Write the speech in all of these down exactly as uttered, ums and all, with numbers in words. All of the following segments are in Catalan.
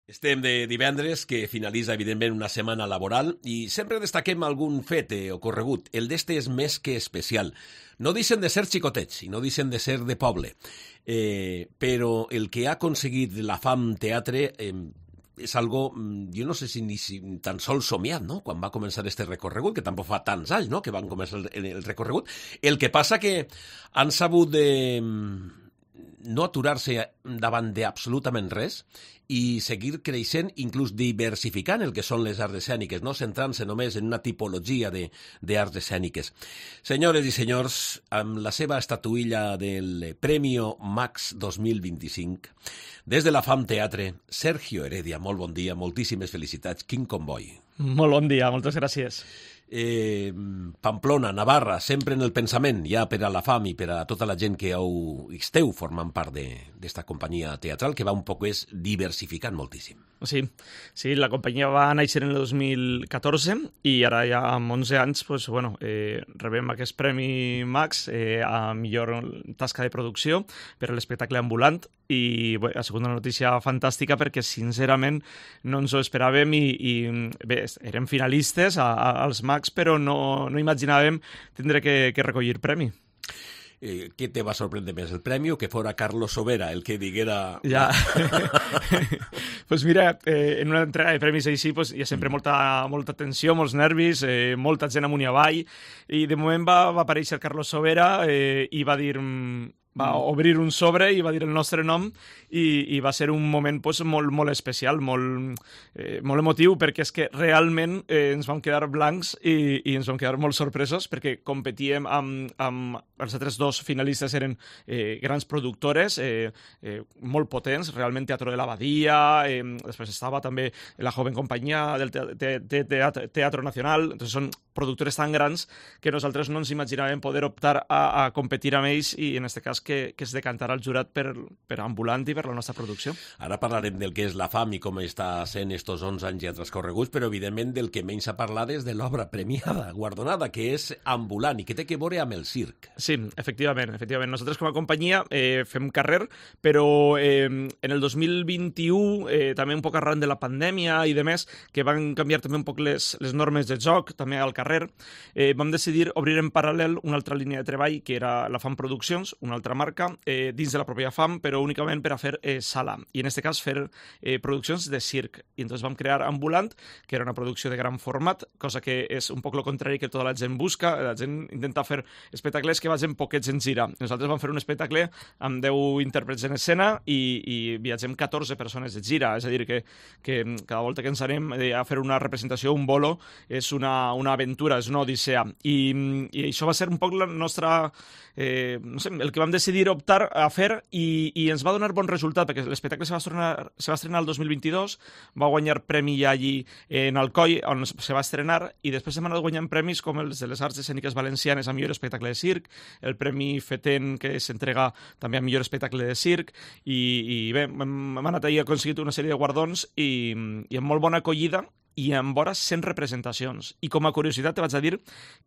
Estem de divendres, que finalitza, evidentment, una setmana laboral, i sempre destaquem algun fet eh, ocorregut. El d'este és més que especial. No deixen de ser xicotets i no deixen de ser de poble, eh, però el que ha aconseguit la FAM Teatre eh, és algo, jo no sé si ni si tan sols somiat, no?, quan va començar este recorregut, que tampoc fa tants anys, no?, que van començar el, el recorregut. El que passa que han sabut de no aturar-se davant d'absolutament res i seguir creixent, inclús diversificant el que són les arts escèniques, no centrant-se només en una tipologia d'arts escèniques. Senyores i senyors, amb la seva estatuilla del Premio Max dos mil vint-i-cinc, des de la FAM Teatre, Sergio Heredia, molt bon dia, moltíssimes felicitats. Quin comboi. Molt bon dia, moltes gràcies. Eh, Pamplona, Navarra, sempre en el pensament, ja per a la FAM i per a tota la gent que heu, esteu formant part d'esta companyia teatral, que va un poc és diversificant moltíssim. Sí, sí, la companyia va néixer en el dos mil catorze i ara ja amb onze anys pues, bueno, eh, rebem aquest Premi Max eh, a millor tasca de producció per a l'espectacle ambulant i bé, ha sigut una notícia fantàstica perquè sincerament no ens ho esperàvem i, i bé, érem finalistes a, a, als Max però no, no imaginàvem tindre que, que recollir premi. Eh, què te va sorprendre més, el premi o que fora Carlos Sobera el que diguera... Ja. Pues mira, eh, en una entrega de premis així pues, hi ha sempre molta, molta tensió, molts nervis, eh, molta gent amunt i avall, i de moment va, va aparèixer Carlos Sobera eh, i va dir... va obrir un sobre i va dir el nostre nom i, i va ser un moment pues, molt, molt especial, molt, eh, molt emotiu, perquè és que realment eh, ens vam quedar blancs i, i ens vam quedar molt sorpresos perquè competíem amb, amb els altres dos finalistes eren eh, grans productores, eh, eh, molt potents, realment Teatro de la Badia, eh, després estava també la Joven Companyia del te te te Teatro, Teatro Nacional, entonces són productores tan grans que nosaltres no ens imaginàvem poder optar a, a competir amb ells i en aquest cas que, que es decantarà el jurat per, per Ambulant i per la nostra producció. Ara parlarem del que és la FAM i com està sent estos onze anys ja transcorreguts, però evidentment del que menys a parlar és de l'obra premiada, guardonada, que és Ambulant i que té que veure amb el circ. Sí, efectivament. efectivament. Nosaltres com a companyia eh, fem carrer, però eh, en el dos mil vint-i-u, eh, també un poc arran de la pandèmia i de més, que van canviar també un poc les, les normes de joc, també al carrer, eh, vam decidir obrir en paral·lel una altra línia de treball, que era la FAM Produccions, una altra marca, eh, dins de la pròpia FAM, però únicament per a fer eh, sala, i en aquest cas fer eh, produccions de circ. I entonces vam crear Ambulant, que era una producció de gran format, cosa que és un poc el contrari que tota la gent busca, la gent intenta fer espectacles que vagin poquets en gira. Nosaltres vam fer un espectacle amb deu intèrprets en escena i, i viatgem catorze persones de gira, és a dir, que, que cada volta que ens anem a fer una representació, un bolo, és una, una aventura, és una odissea. I, i això va ser un poc la nostra... Eh, no sé, el que vam decidir optar a fer i, i ens va donar bon resultat perquè l'espectacle se va estrenar, se va estrenar el dos mil vint-i-dos, va guanyar premi ja allí en Alcoi on se va estrenar i després hem anat guanyant premis com els de les Arts Escèniques Valencianes a millor espectacle de circ, el Premi Feten que s'entrega també a millor espectacle de circ i, i bé, hem anat ahir aconseguit una sèrie de guardons i, i amb molt bona acollida i amb vora cent representacions. I com a curiositat te vaig a dir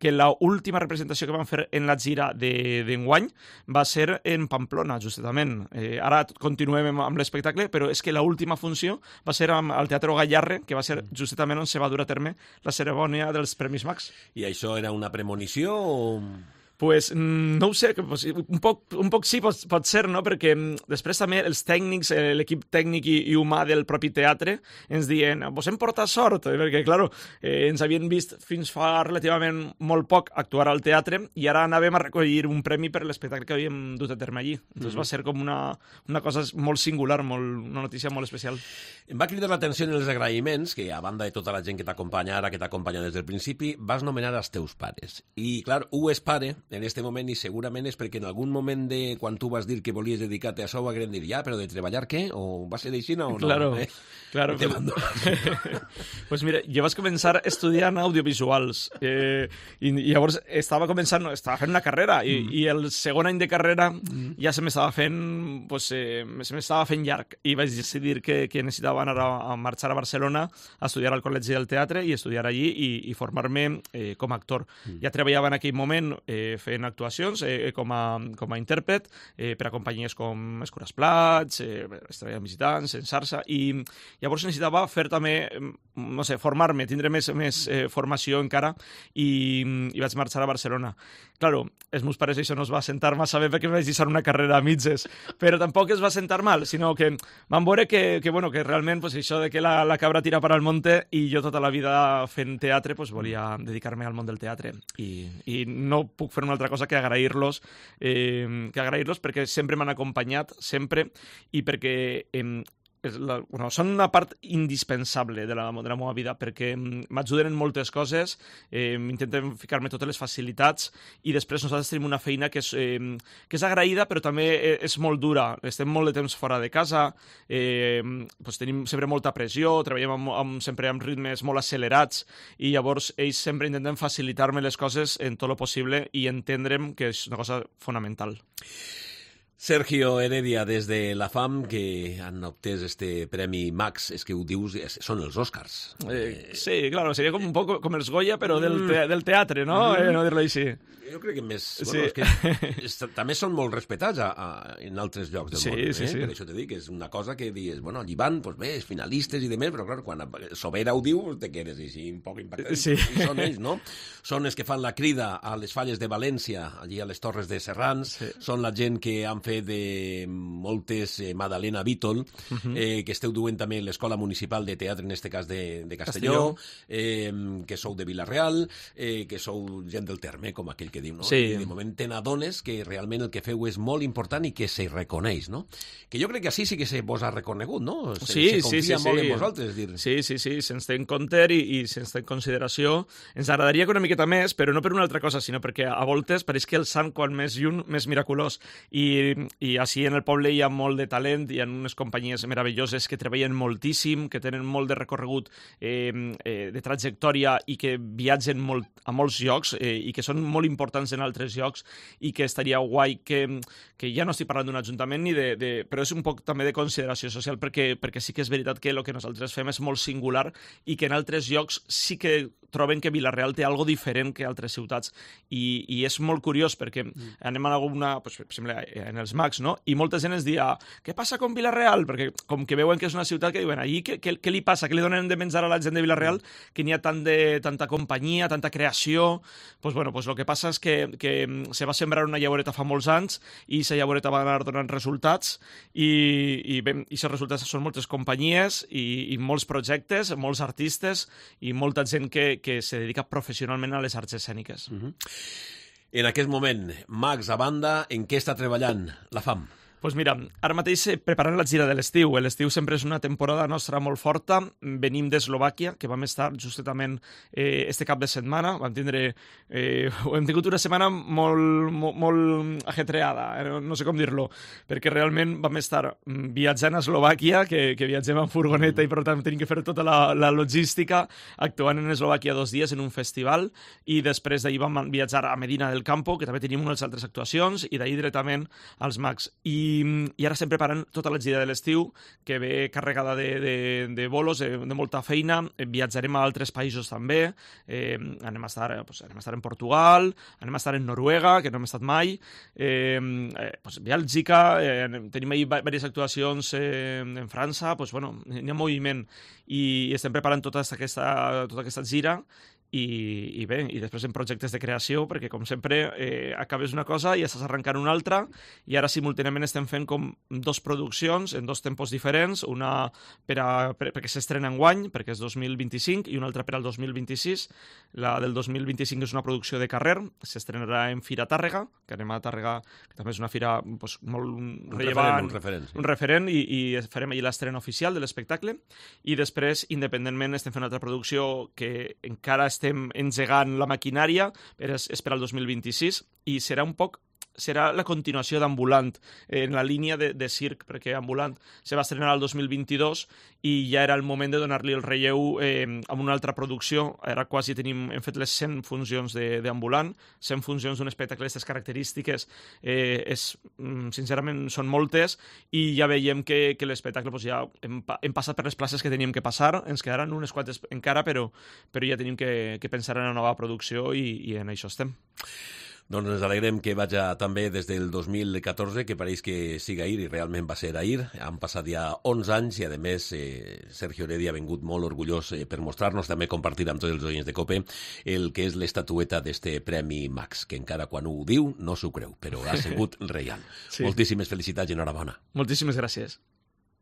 que l'última representació que vam fer en la gira d'enguany va ser en Pamplona, justament. Eh, ara continuem amb l'espectacle, però és que l'última funció va ser al Teatre Gallarre, que va ser justament on se va dur a terme la cerimònia dels Premis Max. I això era una premonició o...? Pues, no ho sé, un poc, un poc sí pot, pot ser, no? Perquè després també els tècnics, l'equip tècnic i, i humà del propi teatre ens diuen, vos hem portat sort, perquè, clar, eh, ens havien vist fins fa relativament molt poc actuar al teatre i ara anàvem a recollir un premi per l'espectacle que havíem dut a terme allí. Entonces mm-hmm. va ser com una, una cosa molt singular, molt, una notícia molt especial. Em va cridar l'atenció en els agraïments, que a banda de tota la gent que t'acompanya ara, que t'acompanya des del principi, vas nomenar els teus pares. I, clar, un és pare en este moment i segurament és perquè en algun moment de quan tu vas dir que volies dedicar-te a això va dir, ja, però de treballar què? O va ser d'aixina o no? Claro, eh? claro. Te pues mira, jo vaig començar estudiant audiovisuals eh, i, i llavors estava començant, estava fent una carrera i, mm. i el segon any de carrera mm. ja se m'estava fent, pues, eh, se m'estava fent llarg i vaig decidir que, que necessitava necessitava anar a, a marxar a Barcelona a estudiar al Col·legi del Teatre i estudiar allí i, i formar-me eh, com a actor. Mm. Ja treballava en aquell moment eh, fent actuacions eh, com, a, com a intèrpret eh, per a companyies com Escures Plats, eh, Estrella de Visitants, en Sarsa, i llavors necessitava fer també, no sé, formar-me, tindre més, més eh, formació encara, i, i vaig marxar a Barcelona. Claro, els meus pares això no es va sentar massa bé perquè vaig deixar una carrera a mitges, però tampoc es va sentar mal, sinó que van veure que, que, bueno, que realment pues, això de que la, la cabra tira per al monte, i jo tota la vida fent teatre pues, volia dedicar-me al món del teatre, i, i no puc fer una altra cosa que agrair-los, eh, que agrair-los perquè sempre m'han acompanyat, sempre, i perquè eh, La, bueno, són una part indispensable de la, de la meva vida, perquè m'ajuden en moltes coses, eh, intenten ficar-me totes les facilitats, i després nosaltres tenim una feina que és, eh, que és agraïda, però també és molt dura. Estem molt de temps fora de casa, eh, doncs tenim sempre molta pressió, treballem amb, amb, sempre amb ritmes molt accelerats, i llavors ells sempre intenten facilitar-me les coses en tot el possible i entendre'm que és una cosa fonamental. Sergio Heredia, des de la FAM, que han obtès este premi Max, és que ho dius, són els Oscars. Eh, sí, claro, seria com un poc com els Goya, però del, te del teatre, no? Mm. Eh, no dir-lo així. Jo crec que més... Sí. Bueno, és que és, també són molt respetats a, a, en altres llocs del sí, món. Sí, eh? sí. Per això te dic, és una cosa que dius, bueno, allí van, doncs bé, finalistes i demés, però clar, quan Sobera ho diu, te quedes així un poc impactat. Sí. I són ells, no? Són els que fan la crida a les falles de València, allí a les Torres de Serrans, sí. Són la gent que han fet de moltes, eh, Madalena Vítol, uh -huh. eh, que esteu duent també l'Escola Municipal de Teatre, en este cas de, de Castelló, Castelló. Eh, que sou de Vila-real, eh, que sou gent del terme, com aquell que diu, no? Sí. I de moment te n'adones que realment el que feu és molt important i que se reconeix, no? Que jo crec que així sí que se vos ha reconegut, no? Se, sí, se confia sí, sí, molt sí. en vosaltres. Dir. Sí, sí, sí, se'ns té en compte i, i se'ns té en consideració. Ens agradaria que una miqueta més, però no per una altra cosa, sinó perquè a voltes pareix que el sant, quan més lluny, més miraculós. I, i així en el poble hi ha molt de talent, hi ha unes companyies meravelloses que treballen moltíssim, que tenen molt de recorregut, eh, eh, de trajectòria, i que viatgen molt, a molts llocs, eh, i que són molt importants en altres llocs, i que estaria guai que, que ja no estic parlant d'un ajuntament ni de, de... però és un poc també de consideració social, perquè, perquè sí que és veritat que el que nosaltres fem és molt singular i que en altres llocs sí que troben que Vila-real té algo diferent que altres ciutats, i, i és molt curiós perquè mm. anem a alguna, pues, per exemple, en els Mags, no? I molta gent ens dia, què passa con Vila-real? Perquè com que veuen que és una ciutat que diuen, allí què, què, què li passa? Què li donen de menjar a la gent de Vila-real? Mm. Que n'hi ha tant de, tanta companyia, tanta creació. Pues bueno, pues lo que passa és que, que se va sembrar una llavoreta fa molts anys i la llavoreta va anar donant resultats, i, i bé, i els resultats són moltes companyies i, i molts projectes, molts artistes i molta gent que, que se dedica professionalment a les arts escèniques. Uh-huh. En aquest moment, Max a banda, en què està treballant la FAM? Doncs pues mira, ara mateix preparant la gira de l'estiu. L'estiu sempre és una temporada nostra molt forta. Venim d'Eslovàquia, que vam estar justament eh, este cap de setmana. Vam tindre... Eh, hem tingut una setmana molt, molt, molt ajetreada, eh, no sé com dir-lo, perquè realment vam estar viatjant a Eslovàquia, que, que viatgem en furgoneta i per tant tenim que fer tota la, la logística, actuant en Eslovàquia dos dies en un festival, i després d'ahir vam viatjar a Medina del Campo, que també tenim unes altres actuacions, i d'ahir directament als Mags. I i ara estem preparant tota la gira de l'estiu, que ve carregada de, de, de bolos, de, de molta feina. Viatjarem a altres països també, eh, anem, a estar, pues, anem a estar en Portugal, anem a estar en Noruega, que no hem estat mai, eh, eh, pues, Bèlgica, eh, tenim ahí diverses actuacions eh, en França, pues, bueno, hi ha moviment, i estem preparant tota aquesta, tota aquesta gira. I, i bé, i després en projectes de creació, perquè com sempre eh, acabes una cosa i estàs arrencant una altra, i ara simultàniament estem fent com dos produccions en dos tempos diferents, una per a, per, perquè s'estrena enguany, perquè és dos mil vint-i-cinc, i una altra per al dos mil vint-i-sis. La del dos mil vint-i-cinc és una producció de carrer, s'estrenarà en Fira Tàrrega, que anem a Tàrrega, que també és una fira pues, molt un rellevant, referent, un referent, sí. un referent i, i farem allà l'estrena oficial de l'espectacle, i després, independentment, estem fent una altra producció que encara estem engegant la maquinària, però és, és per al dos mil vint-i-sis, i serà un poc serà la continuació d'Ambulant, en la línia de, de circ, perquè Ambulant se va estrenar el dos mil vint-i-dos i ja era el moment de donar-li el relleu eh, amb una altra producció. Ara quasi tenim, hem fet les cent funcions d'Ambulant, cent funcions d'un espectacle d'aquestes característiques, eh, és, sincerament són moltes, i ja veiem que, que l'espectacle doncs, ja hem, hem passat per les places que teníem que passar, ens quedaran unes quantes encara, però, però ja tenim que, que pensar en una nova producció i, i en això estem. Doncs ens alegrem que vaja també des del dos mil catorze, que pareix que siga ahir, i realment va ser ahir. Han passat ja onze anys i, a més, eh, Sergio Heredia ha vingut molt orgullós eh, per mostrar-nos, també compartir amb tots els oients de COPE, el que és l'estatueta d'este Premi Max, que encara quan ho diu no s'ho creu, però ha sigut real. Sí. Moltíssimes felicitats i enhorabona. Moltíssimes gràcies.